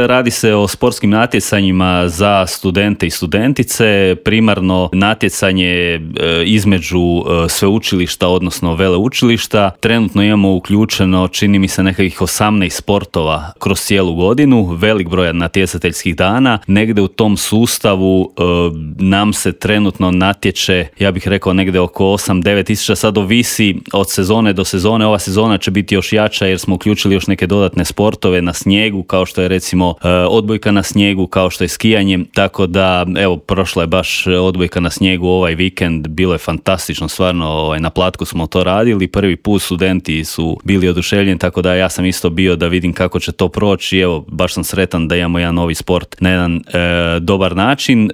Radi se o sportskim natjecanjima za studente i studentice, primarno natjecanje između sveučilišta, odnosno veleučilišta. Trenutno imamo uključeno, čini mi se, nekakvih 18 sportova kroz cijelu godinu, velik broj natjecateljskih dana. Negdje u tom sustavu nam se trenutno natječe, ja bih rekao negdje oko 8-9 tisuća, sad ovisi od sezone do sezone. Ova sezona će biti još jača jer smo uključili još neke dodatne sportove na snijegu, kao što je recimo odbojka na snijegu, kao što je skijanje, tako da evo, prošla je baš odbojka na snijegu ovaj vikend, bilo je fantastično, stvarno na Platku smo to radili, prvi put studenti su bili oduševljeni, tako da ja sam isto bio da vidim kako će to proći. Evo, baš sam sretan da imamo jedan novi sport na jedan dobar način.